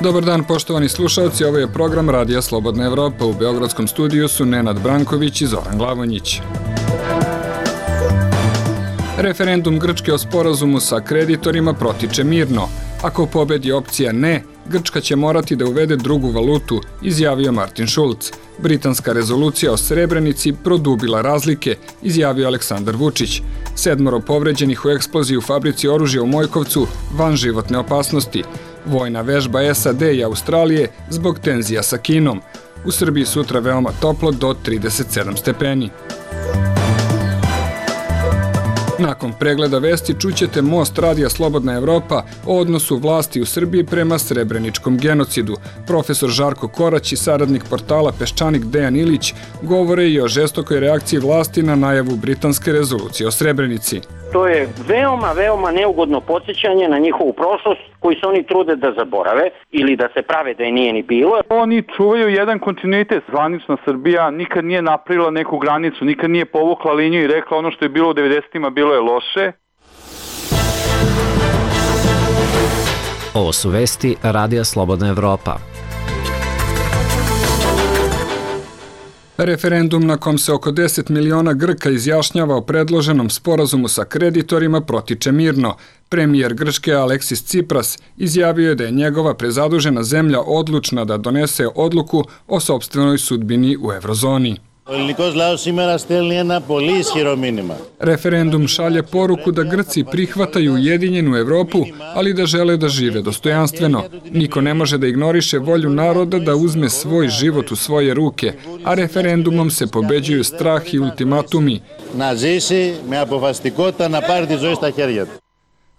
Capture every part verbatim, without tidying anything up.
Dobar dan, poštovani slušalci, ovo je program Radija Slobodna Evropa. U Beogradskom studiju su Nenad Branković i Zoran Glavonjić. Referendum Grčke o sporazumu sa kreditorima protiče mirno. Ako pobedi opcija ne, Grčka će morati da uvede drugu valutu, izjavio Martin Schulz. Britanska rezolucija o Srebrenici produbila razlike, izjavio Aleksandar Vučić. Sedmoro povređenih u eksploziji u fabrici oružja u Mojkovcu van životne opasnosti. Vojna vežba S A D i Australije zbog tenzija sa Kinom. U Srbiji sutra veoma toplo do trideset sedam stepeni. Nakon pregleda vesti čućete Most Radija Slobodna Evropa o odnosu vlasti u Srbiji prema srebreničkom genocidu. Profesor Žarko Korać i saradnik portala Peščanik Dejan Ilić govore i o žestokoj reakciji vlasti na najavu britanske rezolucije o Srebrenici. To je veoma, veoma neugodno podsjećanje na njihovu prošlost koju se oni trude da zaborave ili da se prave da je nije ni bilo. Oni čuvaju jedan kontinuitet. Zvanična Srbija nikad nije napravila neku granicu, nikad nije povukla liniju i rekla ono što je bilo u devedesetima bilo je loše. Ovo su vesti Radija Slobodna Evropa. Referendum na kom se oko deset miliona Grka izjašnjava o predloženom sporazumu sa kreditorima protiče mirno. Premijer Grčke Aleksis Tsipras izjavio je da je njegova prezadužena zemlja odlučna da donese odluku o sopstvenoj sudbini u evrozoni. Referendum šalje poruku da Grci prihvataju ujedinjenu Evropu, ali da žele da žive dostojanstveno. Niko ne može da ignoriše volju naroda da uzme svoj život u svoje ruke, a referendumom se pobeđuju strah i ultimatumi.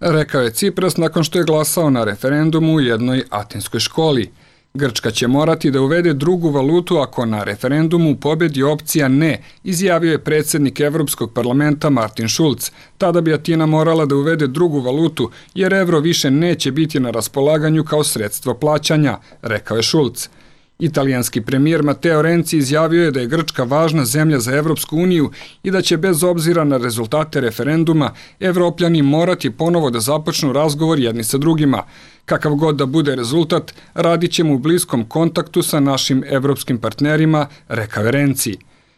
Rekao je Tsipras nakon što je glasao na referendumu u jednoj atinskoj školi. Grčka će morati da uvede drugu valutu ako na referendumu pobedi opcija ne, izjavio je predsjednik Evropskog parlamenta Martin Schulz. Tada bi Atina morala da uvede drugu valutu, jer evro više neće biti na raspolaganju kao sredstvo plaćanja, rekao je Schulz. Italijanski premijer Matteo Renzi izjavio je da je Grčka važna zemlja za Evropsku uniju i da će bez obzira na rezultate referenduma Evropljani morati ponovo da započnu razgovor jedni sa drugima. Kakav god da bude rezultat, radit ćemo u bliskom kontaktu sa našim evropskim partnerima, rekao je Renzi.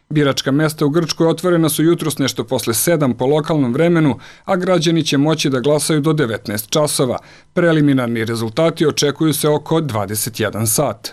Biračka mesta u Grčkoj otvorena su jutros nešto posle sedam po lokalnom vremenu, a građani će moći da glasaju do devetnaest časova. Preliminarni rezultati očekuju se oko dvadeset jedan sat.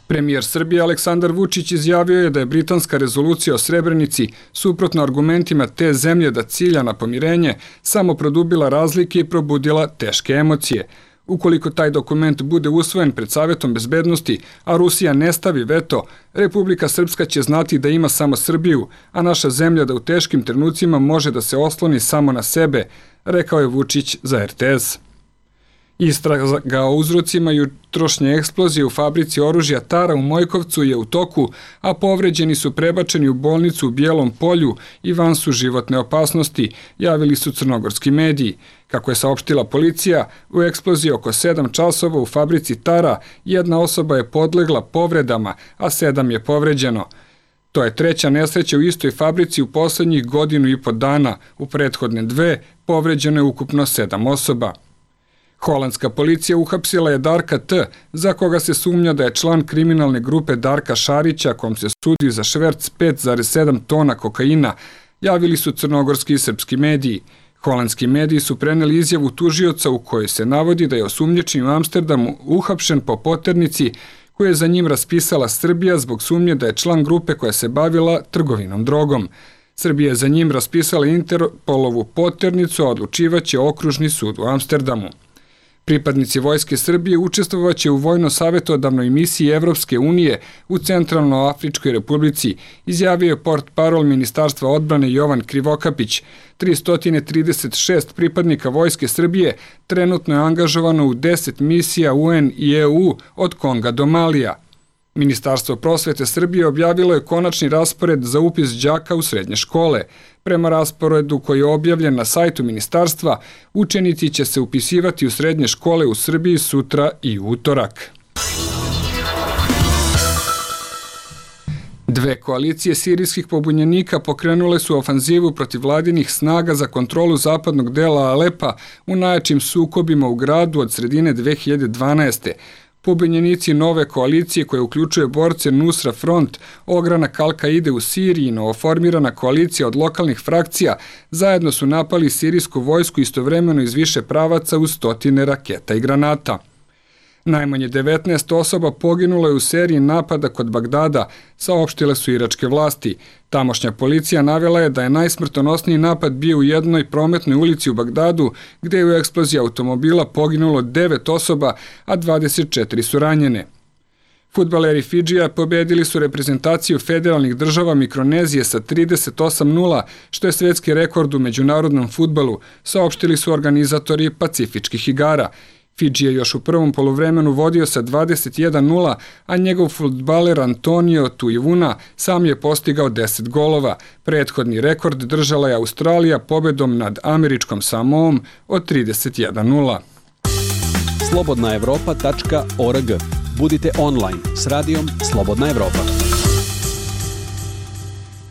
Premijer Srbije Aleksandar Vučić izjavio je da je britanska rezolucija o Srebrenici, suprotno argumentima te zemlje da cilja na pomirenje, samo produbila razlike i probudila teške emocije. Ukoliko taj dokument bude usvojen pred Savetom bezbednosti, a Rusija ne stavi veto, Republika Srpska će znati da ima samo Srbiju, a naša zemlja da u teškim trenucima može da se osloni samo na sebe, rekao je Vučić za R T S. Istraga o uzrocima jutrošnje eksplozije u fabrici oružja Tara u Mojkovcu je u toku, a povređeni su prebačeni u bolnicu u Bijelom Polju i van su životne opasnosti, javili su crnogorski mediji. Kako je saopštila policija, u eksploziji oko sedam časova u fabrici Tara jedna osoba je podlegla povredama, a sedam je povređeno. To je treća nesreća u istoj fabrici u poslednjih godinu i po dana. U prethodne dve povređeno je ukupno sedam osoba. Holandska policija uhapsila je Darka T, za koga se sumnja da je član kriminalne grupe Darka Šarića, kom se sudi za šverc pet zarez sedam tona kokaina, javili su crnogorski i srpski mediji. Holandski mediji su preneli izjavu tužioca u kojoj se navodi da je osumnjičen u Amsterdamu uhapšen po poternici koju je za njim raspisala Srbija zbog sumnje da je član grupe koja se bavila trgovinom drogom. Srbija je za njim raspisala Interpolovu poternicu, a odlučivaće okružni sud u Amsterdamu. Pripadnici Vojske Srbije učestvovaće u vojno-savjetodavnoj misiji Evropske unije u Centralnoafričkoj republici, izjavio je portparol Ministarstva odbrane Jovan Krivokapić. tristo trideset šest pripadnika Vojske Srbije trenutno je angažovano u deset misija U N i E U od Konga do Malija. Ministarstvo prosvete Srbije objavilo je konačni raspored za upis đaka u srednje škole. Prema rasporedu koji je objavljen na sajtu ministarstva, učenici će se upisivati u srednje škole u Srbiji sutra i utorak. Dve koalicije sirijskih pobunjenika pokrenule su ofanzivu protiv vladinih snaga za kontrolu zapadnog dela Alepa u najjačim sukobima u gradu od sredine dve hiljade dvanaeste. Pobunjenici nove koalicije koje uključuje borce Nusra Front, ogranak Al-Kaide u Siriji i novoformirana koalicija od lokalnih frakcija zajedno su napali sirijsku vojsku istovremeno iz više pravaca uz stotine raketa i granata. Najmanje devetnaest osoba poginulo je u seriji napada kod Bagdada, saopštile su iračke vlasti. Tamošnja policija navela je da je najsmrtonosniji napad bio u jednoj prometnoj ulici u Bagdadu, gde je u eksploziji automobila poginulo devet osoba, a dvadeset četiri su ranjene. Fudbaleri Fidžija pobedili su reprezentaciju federalnih država Mikronezije sa trideset osam nula, što je svetski rekord u međunarodnom fudbalu, saopštili su organizatori Pacifičkih igara. Fidži je još u prvom poluvremenu vodio sa dvadeset jedan nula, a njegov fudbaler Antonio Tuivuna sam je postigao deset golova. Prethodni rekord držala je Australija pobedom nad američkom Samoom od trideset jedan nula. slobodna evropa tačka org. Budite online s radijom Slobodna Evropa.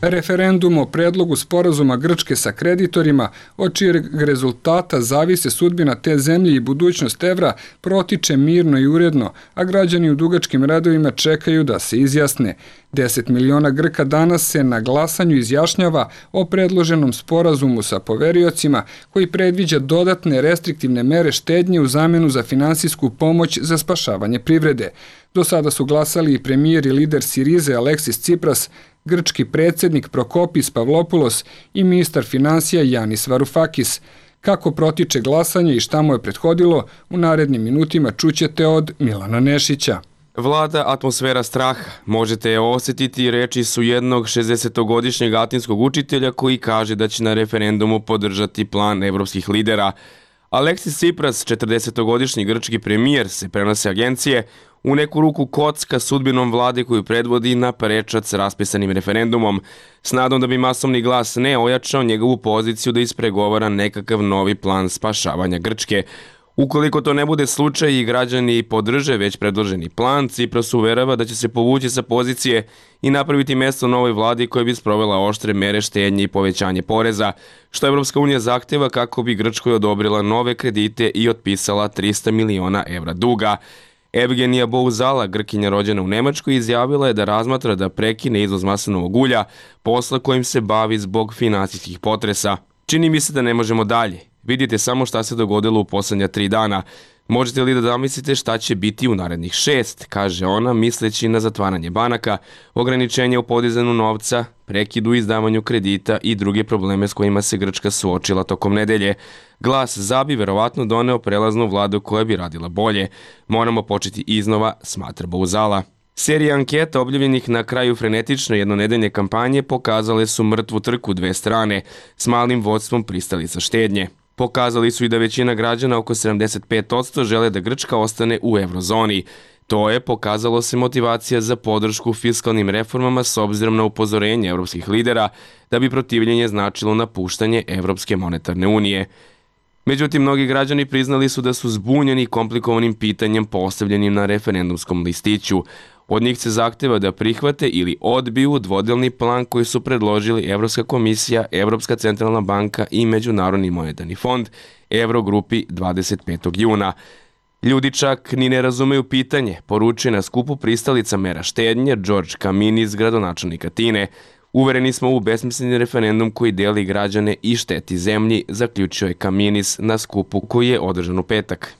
Referendum o predlogu sporazuma Grčke sa kreditorima, od čijeg rezultata zavise sudbina te zemlje i budućnost evra, protiče mirno i uredno, a građani u dugačkim redovima čekaju da se izjasne. deset miliona Grka danas se na glasanju izjašnjava o predloženom sporazumu sa poveriocima koji predviđa dodatne restriktivne mere štednje u zamenu za finansijsku pomoć za spašavanje privrede. Do sada su glasali i premijer i lider Sirize Aleksis Tsipras, grčki predsjednik Prokopis Pavlopoulos i ministar finansija Janis Varoufakis. Kako protiče glasanje i šta mu je prethodilo, u narednim minutima čućete od Milana Nešića. Vlada atmosfera straha. Možete je osjetiti, reči su jednog šezdesetogodišnjeg atinskog učitelja koji kaže da će na referendumu podržati plan evropskih lidera. Aleksis Tsipras, četrdesetogodišnji grčki premijer, se prenose agencije, u neku ruku kocka sudbinom vlade koju predvodi na prečac raspisanim referendumom, s nadom da bi masovni glas ne ojačao njegovu poziciju da ispregovara nekakav novi plan spašavanja Grčke. Ukoliko to ne bude slučaj i građani podrže već predloženi plan, Tsipras uverava da će se povući sa pozicije i napraviti mesto novoj vladi koja bi sprovela oštre mere štednje i povećanje poreza, što Evropska unija zahteva kako bi Grčkoj odobrila nove kredite i otpisala trista miliona evra duga. Evgenija Bouzala, Grkinja rođena u Nemačkoj, izjavila je da razmatra da prekine izvoz maslinovog ulja, posla kojim se bavi zbog finansijskih potresa. Čini mi se da ne možemo dalje. Vidite samo šta se dogodilo u poslednja tri dana. Možete li da zamislite šta će biti u narednih šest, kaže ona, misleći na zatvaranje banaka, ograničenje u podizanju novca, prekid u izdavanju kredita i druge probleme s kojima se Grčka suočila tokom nedelje. Glas za bi verovatno doneo prelaznu vladu koja bi radila bolje. Moramo početi iznova, smatra Bouzala. Serija anketa objavljenih na kraju frenetične jednonedeljne kampanje pokazale su mrtvu trku dve strane, s malim vodstvom pristalica štednje. Pokazali su i da većina građana, oko sedamdeset pet posto, žele da Grčka ostane u eurozoni. To je, pokazalo se, motivacija za podršku fiskalnim reformama s obzirom na upozorenje evropskih lidera da bi protivljenje značilo napuštanje Evropske monetarne unije. Međutim, mnogi građani priznali su da su zbunjeni komplikovanim pitanjem postavljenim na referendumskom listiću. Od njih se zahteva da prihvate ili odbiju dvodelni plan koji su predložili Evropska komisija, Evropska centralna banka i Međunarodni monetarni fond Evrogrupi dvadeset petog juna. Ljudi čak ni ne razumeju pitanje, poručuje na skupu pristalica mera štednje George Kaminis, gradonačelnik Atine. Uvereni smo u besmisleni referendum koji deli građane i šteti zemlji, zaključio je Kaminis na skupu koji je održan u petak.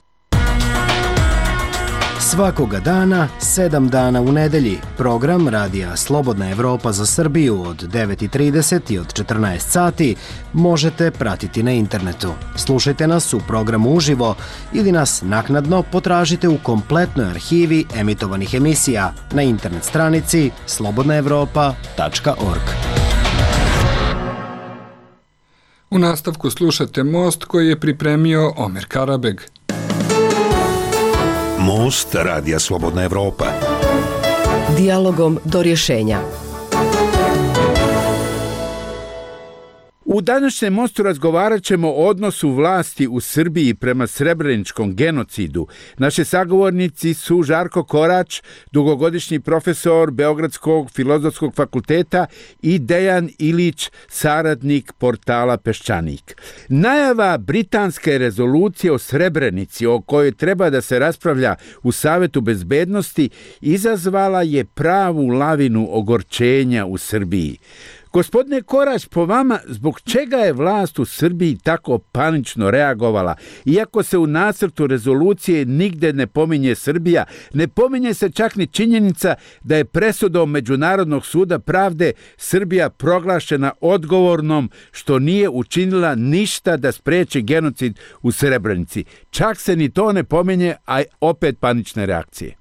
Svakoga dana, sedam dana u nedelji, program Radija Slobodna Evropa za Srbiju od devet i trideset i od četrnaest sati možete pratiti na internetu. Slušajte nas u programu uživo ili nas naknadno potražite u kompletnoj arhivi emitovanih emisija na internet stranici slobodna evropa tačka org. U nastavku slušate Most koji je pripremio Omer Karabeg. Most Radija Slobodna Evropa. Dijalogom do rješenja. U U današnjem mostu razgovarat ćemo o odnosu vlasti u Srbiji prema srebreničkom genocidu. Naši sagovornici su Žarko Korać, dugogodišnji profesor Beogradskog filozofskog fakulteta, i Dejan Ilić, saradnik portala Peščanik. Najava britanske rezolucije o Srebrenici, o kojoj treba da se raspravlja u Savetu bezbednosti, izazvala je pravu lavinu ogorčenja u Srbiji. Gospodine Korać, po vama, zbog čega je vlast u Srbiji tako panično reagovala? Iako se u nacrtu rezolucije nigde ne pominje Srbija, ne pominje se čak ni činjenica da je presudom Međunarodnog suda pravde Srbija proglašena odgovornom što nije učinila ništa da spreči genocid u Srebrenici. Čak se ni to ne pominje, a opet panične reakcije.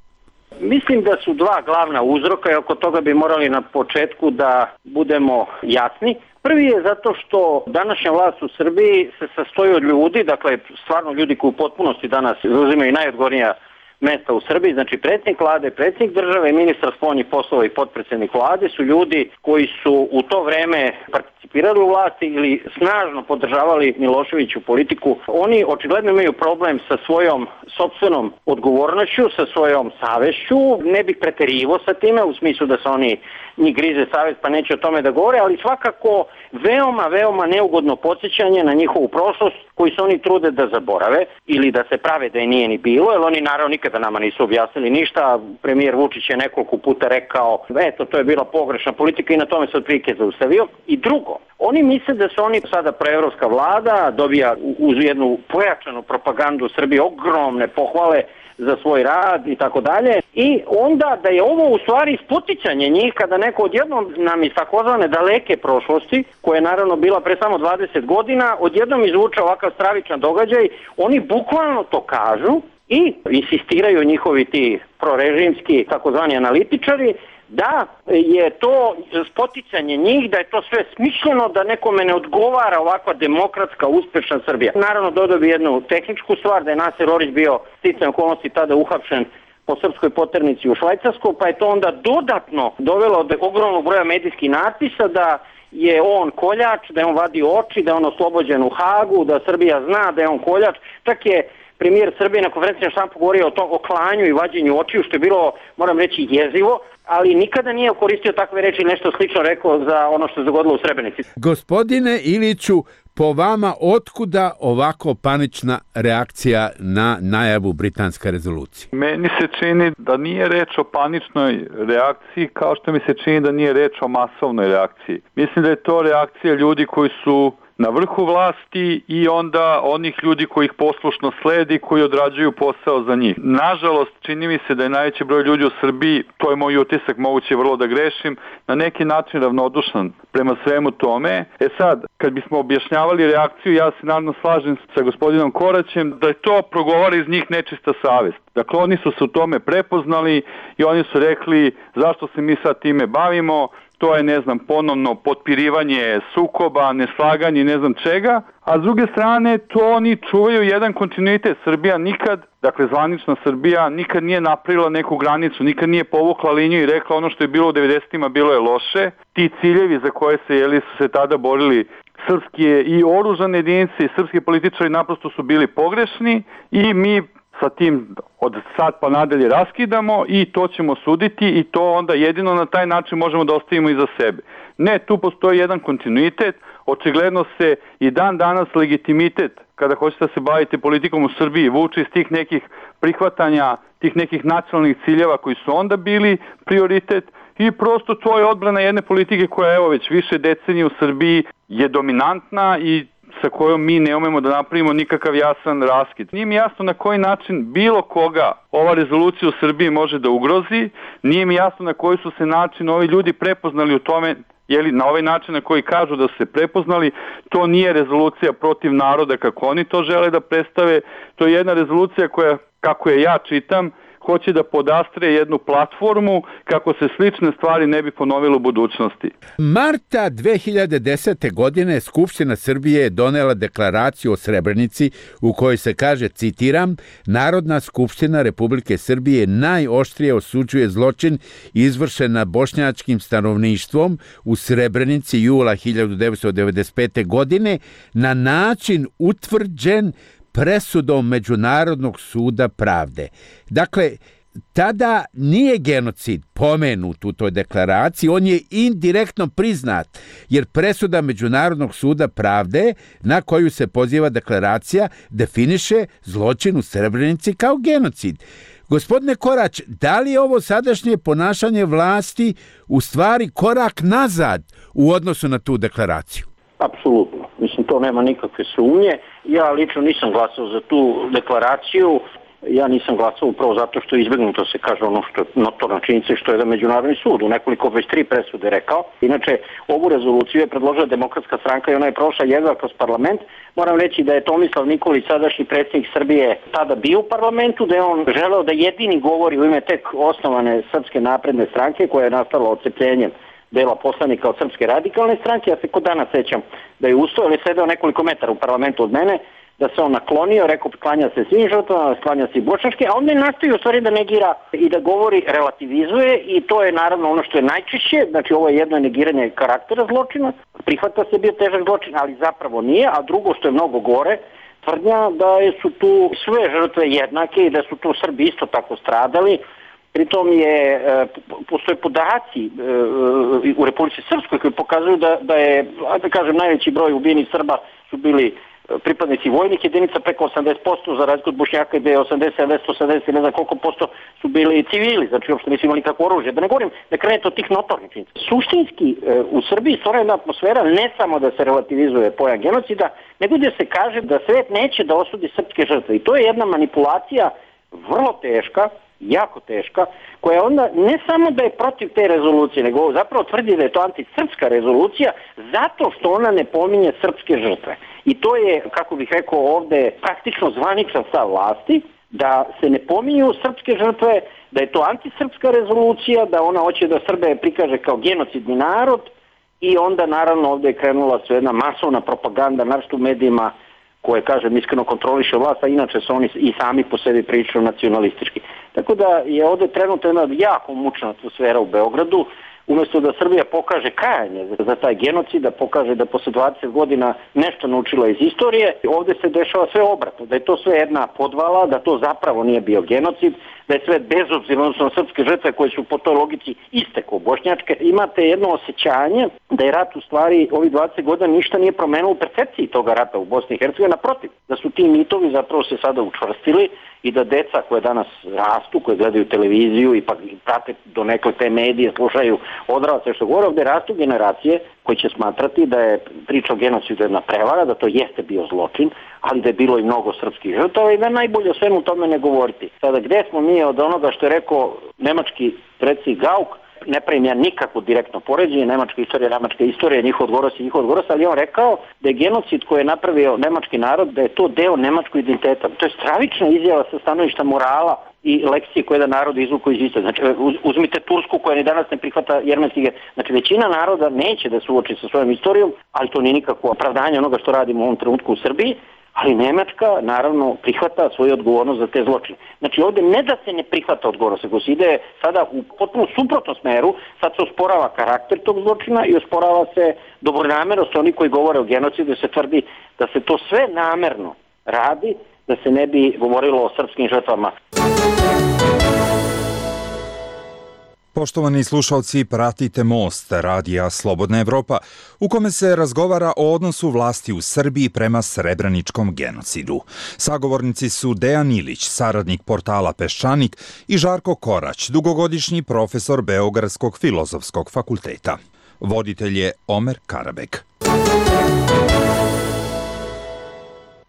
Mislim da su dva glavna uzroka i oko toga bi morali na početku da budemo jasni. Prvi je zato što današnja vlast u Srbiji se sastoji od ljudi, dakle stvarno ljudi koji u potpunosti danas zauzimaju najodgovornija mesta u Srbiji, znači predsjednik vlade, predsjednik države, ministar spoljnih poslova i potpredsjednik vlade su ljudi koji su u to vreme participirali u vlasti ili snažno podržavali Miloševiću politiku. Oni očigledno imaju problem sa svojom sopstvenom odgovornošću, sa svojom savešću. Ne bih preterivo sa time u smislu da se oni njih grize savest pa neće o tome da govore, ali svakako veoma, veoma neugodno podsjećanje na njihovu prošlost koji se oni trude da zaborave ili da se prave da je nije ni bilo, jer oni naravno nikada nama nisu objasnili ništa. Premijer Vučić je nekoliko puta rekao, eto, to je bila pogrešna politika i na tome se otprilike zaustavio. I drugo, oni misle da su oni sada proevropska vlada, dobija uz jednu pojačanu propagandu Srbije ogromne pohvale za svoj rad i tako dalje. I onda da je ovo u stvari spoticanje njih kada neko odjednom nam iz takozvane daleke prošlosti, koja je naravno bila pre samo dvadeset godina, odjednom izvuče ovakav stravičan događaj, oni bukvalno to kažu i insistiraju njihovi ti prorežimski takozvani analitičari da je to spoticanje njih, da je to sve smišljeno, da nekome ne odgovara ovakva demokratska, uspešna Srbija. Naravno, dodao bi jednu tehničku stvar, da je Naser Orić bio sticajem okolnosti tada uhapšen po srpskoj poternici u Švajcarsku, pa je to onda dodatno dovelo do ogromnog broja medijskih natpisa da je on koljač, da je on vadio oči, da je on oslobođen u Hagu, da Srbija zna da je on koljač. Čak je premijer Srbije na konferenciji štampu govorio o tom o klanju i vađenju očiju, što je bilo, moram reći, jezivo, ali nikada nije koristio takve reči, nešto slično rekao za ono što se dogodilo u Srebrenici. Gospodine Iliću, po vama, otkuda ovako panična reakcija na najavu britanske rezolucije? Meni se čini da nije reč o paničnoj reakciji, kao što mi se čini da nije reč o masovnoj reakciji. Mislim da je to reakcija ljudi koji su na vrhu vlasti i onda onih ljudi koji ih poslušno sledi, koji odrađuju posao za njih. Nažalost, čini mi se da je najveći broj ljudi u Srbiji, to je moj utisak, moguće vrlo da grešim, na neki način ravnodušan prema svemu tome. E sad, kad bismo objašnjavali reakciju, ja se naravno slažem sa gospodinom Koraćem da je to progovara iz njih nečista savest. Dakle, oni su se u tome prepoznali i oni su rekli zašto se mi sad time bavimo, to je, ne znam, ponovno potpirivanje sukoba, neslaganje, ne znam čega, a s druge strane to oni čuvaju jedan kontinuitet. Srbija nikad, dakle zvanična Srbija, nikad nije napravila neku granicu, nikad nije povukla liniju i rekla ono što je bilo u devedesetima bilo je loše. Ti ciljevi za koje se, jeli, su se tada borili srpske i oružane jedinice i srpski političari naprosto su bili pogrešni i mi sa tim od sad pa nadalje raskidamo i to ćemo suditi i to onda jedino na taj način možemo da ostavimo iza sebe. Ne, tu postoji jedan kontinuitet, očigledno se i dan danas legitimitet kada hoćete da se bavite politikom u Srbiji vuče iz tih nekih prihvatanja, tih nekih nacionalnih ciljeva koji su onda bili prioritet i prosto to je odbrana jedne politike koja evo već više decenije u Srbiji je dominantna i sa kojom mi ne umemo da napravimo nikakav jasan raskid. Nije mi jasno na koji način bilo koga ova rezolucija u Srbiji može da ugrozi, nije mi jasno na koji su se način ovi ljudi prepoznali u tome, jeli na ovaj način na koji kažu da su se prepoznali, to nije rezolucija protiv naroda kako oni to žele da predstave, to je jedna rezolucija koja, kako je ja čitam, hoće da podastre jednu platformu kako se slične stvari ne bi ponovile u budućnosti. Marta dve hiljade desete. godine Skupština Srbije je donela deklaraciju o Srebrenici u kojoj se kaže, citiram, Narodna skupština Republike Srbije najoštrije osuđuje zločin izvršen nad bošnjačkim stanovništvom u Srebrenici jula hiljadu devetsto devedeset pete. godine na način utvrđen presudom Međunarodnog suda pravde. Dakle, tada nije genocid pomenut u toj deklaraciji, on je indirektno priznat, jer presuda Međunarodnog suda pravde na koju se poziva deklaracija definiše zločin u Srebrenici kao genocid. Gospodine Korać, da li je ovo sadašnje ponašanje vlasti u stvari korak nazad u odnosu na tu deklaraciju? Apsolutno. Mislim, to nema nikakve sumnje. Ja lično nisam glasao za tu deklaraciju. Ja nisam glasao upravo zato što je izbjegnuto se kaže ono što je notorna činjenica i što je da Međunarodni sud u nekoliko već tri presude rekao. Inače, ovu rezoluciju je predložila Demokratska stranka i ona je prošla jedva kroz parlament. Moram reći da je Tomislav Nikolić, sadašnji predsjednik Srbije, tada bio u parlamentu, da je on želeo da jedini govori u ime tek osnovane Srpske napredne stranke koja je nastala odcepljenjem dela poslanika od Srpske radikalne stranke. Ja se kod dana sećam da je ustao, ali sedeo nekoliko metara u parlamentu od mene, da se on naklonio, rekao klanja se svim žrtvama, klanja se i bošnjačke, a onda je nastavio u stvari da negira i da govori, relativizuje i to je naravno ono što je najčešće, znači ovo je jedno negiranje karaktera zločina, prihvata se bio težak zločin, ali zapravo nije, a drugo što je mnogo gore, tvrdnja da su tu sve žrtve jednake i da su tu Srbi isto tako stradali. Pritom je, postoje podaci u Republici Srpskoj koji pokazuju da, da je, da kažem, najveći broj ubijenih Srba su bili pripadnici vojnih jedinica, preko osamdeset posto, za razliku od Bošnjaka gde je osamdeset, sedamdeset, osamdeset, ne znam koliko posto su bili civili, znači uopšte nisu imali kakvo oružje. Da ne govorim da krenete od tih notornih činjenica. Suštinski u Srbiji stvara jedna atmosfera ne samo da se relativizuje pojam genocida, nego da se kaže da svet neće da osudi srpske žrtve. I to je jedna manipulacija vrlo teška, jako teška, koja onda ne samo da je protiv te rezolucije, nego zapravo tvrdi da je to antisrpska rezolucija zato što ona ne pominje srpske žrtve. I to je, kako bih rekao ovde, praktično zvaničan stav vlasti, da se ne pominju srpske žrtve, da je to antisrpska rezolucija, da ona hoće da Srbe prikaže kao genocidni narod i onda naravno ovde je krenula sve jedna masovna propaganda, naročito u medijima koje, kažem, iskreno kontroliše vlast, a inače su oni i sami po sebi prilično nacionalistički. Tako da je ovde trenutno jedna jako mučna atmosfera u Beogradu, umjesto da Srbija pokaže kajanje za taj genocid, da pokaže da posle dvadeset godina nešto naučila iz istorije, ovde se dešava sve obratno, da je to sve jedna podvala, da to zapravo nije bio genocid, da je sve bezobzirno, odnosno srpske žrtve koje su po toj logici iste kao bošnjačke. Imate jedno osjećanje da je rat u stvari ovih dvadeset godina ništa nije promenilo u percepciji toga rata u Bosni i Hercegovini, naprotiv, da su ti mitovi zapravo se sada učvrstili i da deca koje danas rastu, koje gledaju televiziju i pa prate donekle te medije, slušaju odrasle što govore, ovde rastu generacije koji će smatrati da je priča o genocidu jedna prevara, da to jeste bio zločin, ali da je bilo i mnogo srpskih žrtava i da najbolje o svemu tome ne govoriti. Sada gde smo mi od onoga što je rekao nemački predsjednik Gauk, ne pravim ja nikakvo direktno poređenje, nemačka istorija, nemačka istorija, njihov odgovoros i njihov odgovoros, ali on rekao da je genocid koji je napravio nemački narod, da je to deo nemačkog identiteta. To je stravična izjava sa stanovišta morala i lekcije koje da narod izvuku iz istorije. Znači, uzmite Tursku koja ni danas ne prihvata jermenski. Znači, većina naroda neće da se uoči sa svojom istorijom, ali to nije nikakvo opravdanje onoga što radimo u ovom trenutku u Srbiji, ali Nemačka, naravno, prihvata svoju odgovornost za te zločine. Znači, ovde ne da se ne prihvata odgovornost, nego se ide sada u potpuno suprotnom smeru, sad se osporava karakter tog zločina i osporava se dobronamernost oni koji govore o genocidu, se tvrdi da se to sve namerno radi, da se ne bi govorilo o srpskim žrtvama. Poštovani slušalci, pratite Most, radija Slobodna Evropa, u kome se razgovara o odnosu vlasti u Srbiji prema srebreničkom genocidu. Sagovornici su Dejan Ilić, saradnik portala Peščanik, i Žarko Korać, dugogodišnji profesor Beogradskog filozofskog fakulteta. Voditelj je Omer Karabek.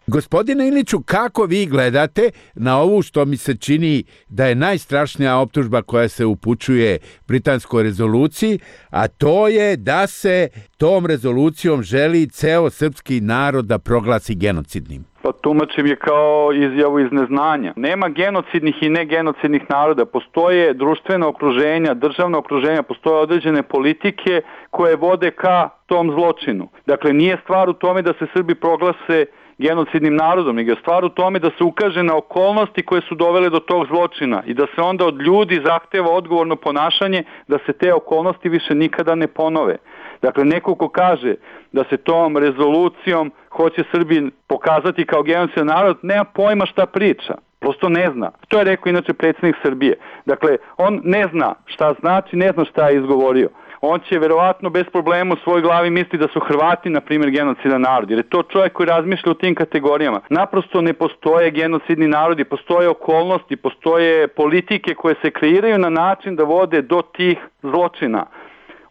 Gospodine Iliću, kako vi gledate na ovu što mi se čini da je najstrašnija optužba koja se upućuje britanskoj rezoluciji, a to je da se tom rezolucijom želi ceo srpski narod da proglasi genocidnim? Pa tumačim je kao izjavu iz neznanja. Nema genocidnih i negenocidnih naroda. Postoje društvena okruženja, državna okruženja, postoje određene politike koje vode ka tom zločinu. Dakle, nije stvar u tome da se Srbi proglase genocidnim narodom, nego je stvar u tome da se ukaže na okolnosti koje su dovele do tog zločina i da se onda od ljudi zahteva odgovorno ponašanje da se te okolnosti više nikada ne ponove. Dakle, neko ko kaže da se tom rezolucijom hoće Srbi pokazati kao genocidan narod, nema pojma šta priča. Prosto ne zna. To je rekao inače predsjednik Srbije. Dakle, on ne zna šta znači, ne zna šta je izgovorio. On će verovatno bez problema u svojoj glavi misli da su Hrvati, na primjer, genocidan narod, jer je to čovjek koji razmišlja u tim kategorijama. Naprosto ne postoje genocidni narodi, postoje okolnosti, postoje politike koje se kreiraju na način da vode do tih zločina.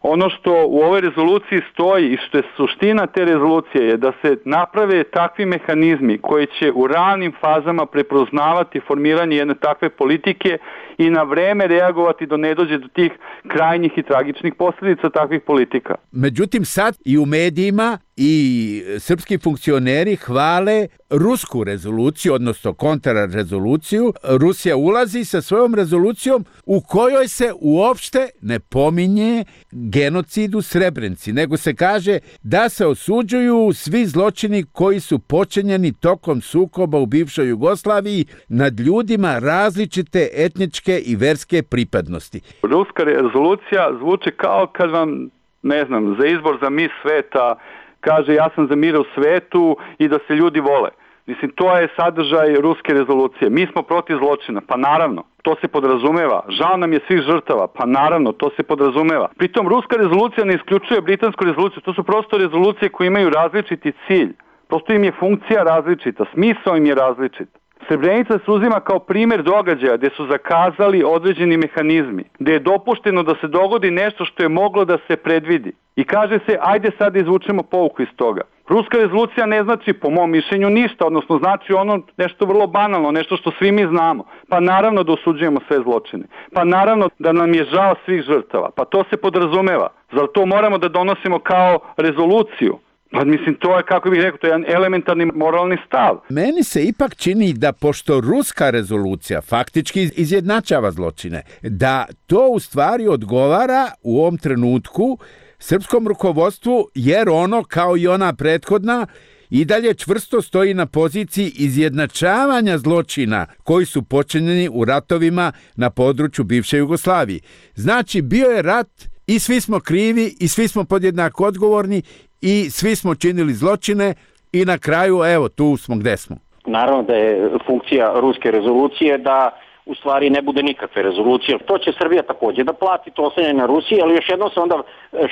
Ono što u ovoj rezoluciji stoji i što je suština te rezolucije je da se naprave takvi mehanizmi koji će u ranim fazama prepoznavati formiranje jedne takve politike i na vreme reagovati da ne dođe do tih krajnjih i tragičnih posljedica takvih politika. Međutim, sad i u medijima i srpski funkcioneri hvale rusku rezoluciju, odnosno kontrarezoluciju. Rusija ulazi sa svojom rezolucijom u kojoj se uopšte ne pominje genocid u Srebrenici, nego se kaže da se osuđuju svi zločini koji su počinjeni tokom sukoba u bivšoj Jugoslaviji nad ljudima različite etničke i verske pripadnosti. Ruska rezolucija zvuči kao kad vam, ne znam, za izbor za mis sveta kaže ja sam za mir u svetu i da se ljudi vole. Mislim, to je sadržaj ruske rezolucije. Mi smo protiv zločina, pa naravno, to se podrazumeva. Žao nam je svih žrtava, pa naravno, to se podrazumeva. Pritom, ruska rezolucija ne isključuje britansku rezoluciju, to su prosto rezolucije koje imaju različiti cilj. Prosto im je funkcija različita, smisao im je različit. Srebrenica se uzima kao primjer događaja gdje su zakazali određeni mehanizmi, gdje je dopušteno da se dogodi nešto što je moglo da se predvidi. I kaže se, ajde sad da izvučemo pouku iz toga. Ruska rezolucija ne znači, po mom mišljenju, ništa, odnosno znači ono nešto vrlo banalno, nešto što svi mi znamo. Pa naravno da osuđujemo sve zločine. Pa naravno da nam je žao svih žrtava. Pa to se podrazumeva. Zar to moramo da donosimo kao rezoluciju? Pa mislim, to je, kako bih rekao, to je jedan elementarni moralni stav. Meni se ipak čini da, pošto ruska rezolucija faktički izjednačava zločine, da to u stvari odgovara u ovom trenutku srpskom rukovodstvu, jer ono, kao i ona prethodna, i dalje čvrsto stoji na poziciji izjednačavanja zločina koji su počinjeni u ratovima na području bivše Jugoslavije. Znači, bio je rat i svi smo krivi i svi smo podjednako odgovorni i svi smo činili zločine i na kraju, evo, tu smo gde smo. Naravno da je funkcija ruske rezolucije da u stvari ne bude nikakve rezolucije. To će Srbija također da plati, to oslanja na Rusiji, ali još jednom se onda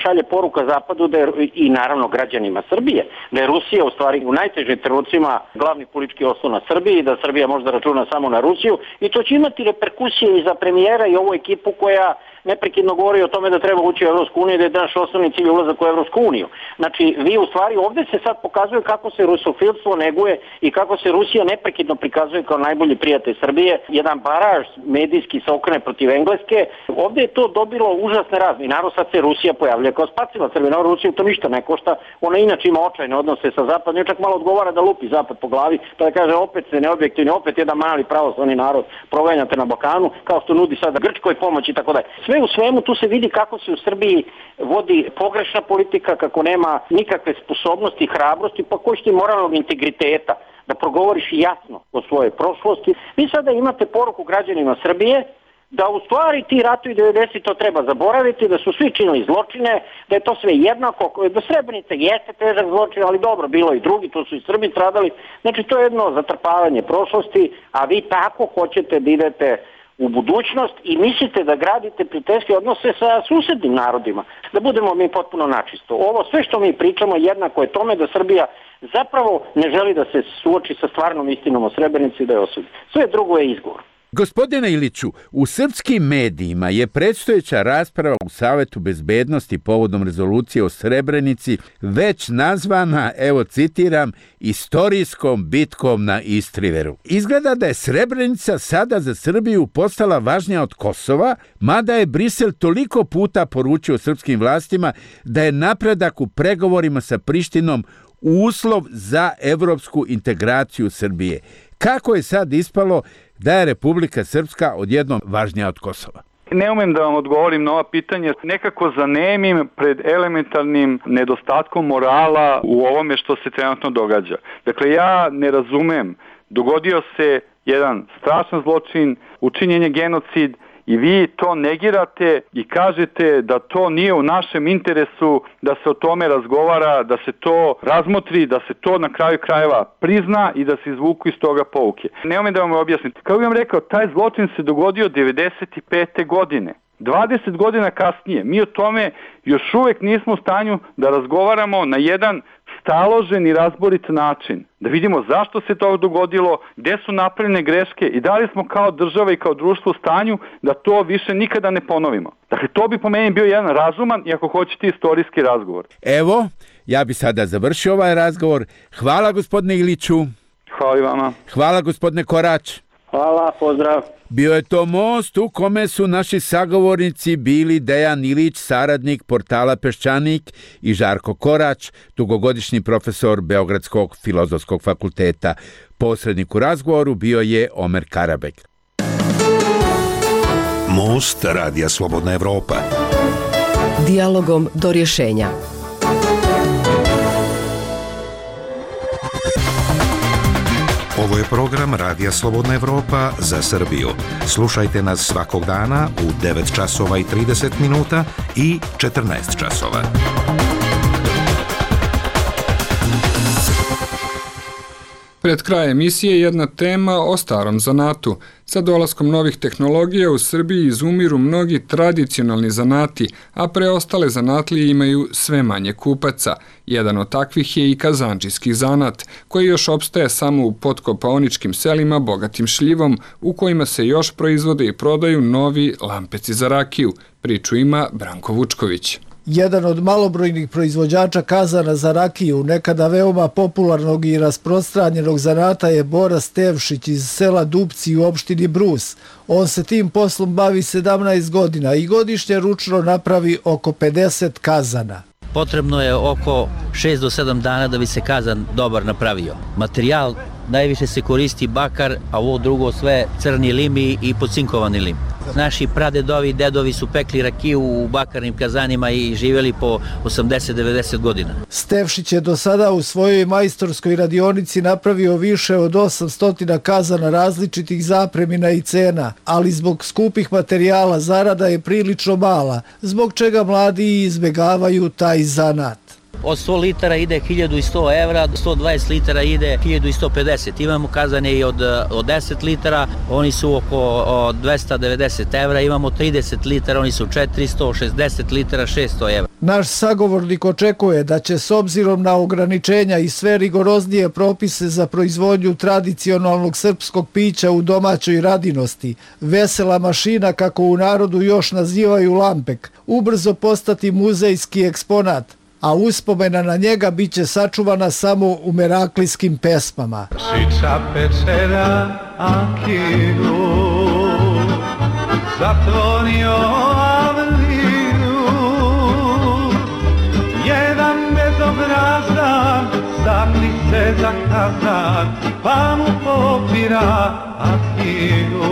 šalje poruka Zapadu da je, i naravno građanima Srbije, da je Rusija u stvari u najtežim trenucima glavni politički oslon na Srbiji, da Srbija može da računa samo na Rusiju i to će imati reperkusije i za premijera i ovu ekipu koja neprekidno govori o tome da treba ući u Evropsku uniju i da je naš osnovni cilj ulazak u Evropsku uniju. Znači, vi u stvari ovdje se sad pokazuje kako se rusofilstvo neguje i kako se Rusija neprekidno prikazuje kao najbolji prijatelj Srbije. Jedan baraž medijski se okrene protiv Engleske. Ovdje je to dobilo užasne razne. I naravno sad se Rusija pojavlja kao spasila Srbije. Naravno, Rusiju to ništa ne košta. Ona inače ima očajne odnose sa Zapadom. I čak malo odgovara da lupi Zapad po glavi. Pa da kaže opet se neobjektivni, opet jedan mali pravoslavni narod proganjate na Balkanu, kao što nudi sada Grčkoj pomoć i tako dalje. Sve u svemu tu se vidi kako se u Srbiji vodi pogrešna politika, kako nema nikakve sposobnosti, hrabrosti, pa koji ti moralnog integriteta da progovoriš jasno o svojoj prošlosti. Vi sada imate poruku građanima Srbije da u stvari ti ratovi devedesetih to treba zaboraviti, da su svi činili zločine, da je to sve jednako, da Srebrenica jeste težak zločin, ali dobro, bilo i drugi, tu su i Srbi stradali. Znači to je jedno zatrpavanje prošlosti, a vi tako hoćete da idete u budućnost i mislite da gradite prijateljske odnose sa susednim narodima, da budemo mi potpuno načisto. Ovo sve što mi pričamo jednako je tome da Srbija zapravo ne želi da se suoči sa stvarnom istinom o Srebrenici i da je osudi. Sve drugo je izgovor. Gospodine Iliću, u srpskim medijima je predstojeća rasprava u Savetu bezbednosti povodom rezolucije o Srebrenici već nazvana, evo citiram, istorijskom bitkom na Istriveru. Izgleda da je Srebrenica sada za Srbiju postala važnija od Kosova, mada je Brisel toliko puta poručio srpskim vlastima da je napredak u pregovorima sa Prištinom uslov za evropsku integraciju Srbije. Kako je sad ispalo da je Republika Srpska odjednom važnija od Kosova? Ne umem da vam odgovorim na ova pitanja, nekako zanemim pred elementarnim nedostatkom morala u ovome što se trenutno događa. Dakle, ja ne razumem, dogodio se jedan strašan zločin, učinjen je genocid i vi to negirate i kažete da to nije u našem interesu, da se o tome razgovara, da se to razmotri, da se to na kraju krajeva prizna i da se izvuku iz toga pouke. Ne umem da vam objasnim. Kao bih vam rekao, taj zločin se dogodio devedeset pete godine. dvadeset godina kasnije. Mi o tome još uvek nismo u stanju da razgovaramo na jedan staložen i razborit način. Da vidimo zašto se to dogodilo, gde su napravljene greške i da li smo kao država i kao društvo u stanju da to više nikada ne ponovimo. Dakle, to bi po meni bio jedan razuman i ako hoćete istorijski razgovor. Evo, ja bi sada završio ovaj razgovor. Hvala gospodine Iliću. Hvala i vama. Hvala gospodine Korać. Hvala, pozdrav. Bio je to most u kome su naši sagovornici bili Dejan Ilić, saradnik portala Peščanik, i Žarko Korać, dugogodišnji profesor Beogradskog filozofskog fakulteta. Posrednik u razgovoru bio je Omer Karabek. Most Radija Slobodna Evropa. Dijalogom do rješenja. Ovo je program Radija Slobodna Evropa za Srbiju. Slušajte nas svakog dana u devet časova i trideset minuta i četrnaest časova. Pred kraj emisije jedna tema o starom zanatu. Sa dolaskom novih tehnologija u Srbiji izumiru mnogi tradicionalni zanati, a preostale zanatlije imaju sve manje kupaca. Jedan od takvih je i kazandžijski zanat, koji još opstaje samo u potkopaoničkim selima bogatim šljivom, u kojima se još proizvode i prodaju novi lampeci za rakiju. Priču ima Branko Vučković. Jedan od malobrojnih proizvođača kazana za rakiju, nekada veoma popularnog i rasprostranjenog zanata, je Bora Stevšić iz sela Dupci u opštini Brus. On se tim poslom bavi sedamnaest godina i godišnje ručno napravi oko pedeset kazana. Potrebno je oko šest do sedam dana da bi se kazan dobar napravio. Materijal najviše se koristi bakar, a ovo drugo sve crni lim i pocinkovani lim. Naši pradedovi i dedovi su pekli rakiju u bakarnim kazanima i živjeli po osamdeset do devedeset godina. Stevšić je do sada u svojoj majstorskoj radionici napravio više od osamsto kazana različitih zapremina i cena, ali zbog skupih materijala zarada je prilično mala, zbog čega mladi izbegavaju taj zanat. Od sto litara ide hiljadu sto evra, sto dvadeset litara ide hiljadu sto pedeset. Imamo kazane i od, od deset litara, oni su oko dvesta devedeset evra. Imamo trideset litara, oni su četiristo, šezdeset litara, šesto evra. Naš sagovornik očekuje da će s obzirom na ograničenja i sve rigoroznije propise za proizvodnju tradicionalnog srpskog pića u domaćoj radinosti, vesela mašina, kako u narodu još nazivaju lampek, ubrzo postati muzejski eksponat, a uspomena na njega bit će sačuvana samo u meraklijskim pesmama. Šiča pečera Akilu, zatvorio Avlinu, jedan bezobrazan zapni se za kazan, pa mu popira Akilu.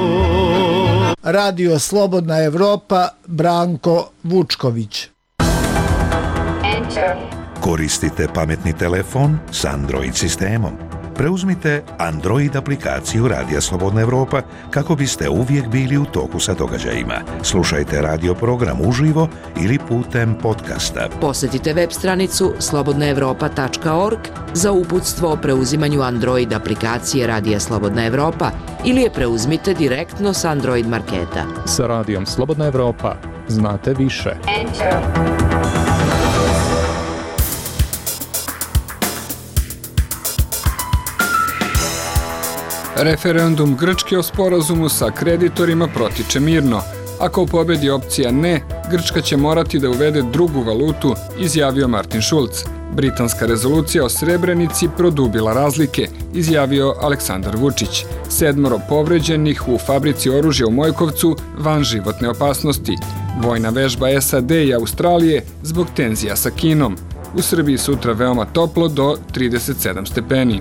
Radio Slobodna Evropa, Branko Vučković. Koristite pametni telefon s Android sistemom. Preuzmite Android aplikaciju Radija Slobodna Evropa kako biste uvijek bili u toku sa događajima. Slušajte radio program uživo ili putem podcasta. Posjetite web stranicu slobodna evropa tačka org za uputstvo o preuzimanju Android aplikacije Radija Slobodna Evropa ili je preuzmite direktno s Android marketa. Sa Radijom Slobodna Evropa znate više. Enter. Referendum Grčke o sporazumu sa kreditorima protiče mirno. Ako pobedi opcija ne, Grčka će morati da uvede drugu valutu, izjavio Martin Schulz. Britanska rezolucija o Srebrenici produbila razlike, izjavio Aleksandar Vučić. Sedmoro povređenih u fabrici oružja u Mojkovcu van životne opasnosti. Vojna vežba S A D i Australije zbog tenzija sa Kinom. U Srbiji sutra veoma toplo do trideset sedam stepeni.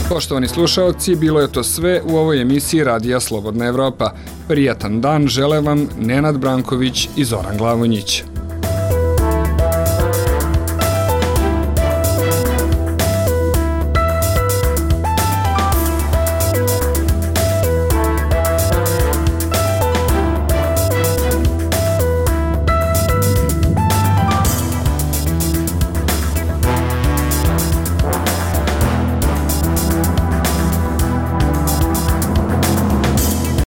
Poštovani slušaoci, bilo je to sve u ovoj emisiji Radija Slobodna Evropa. Prijatan dan žele vam Nenad Branković i Zoran Glavonjić.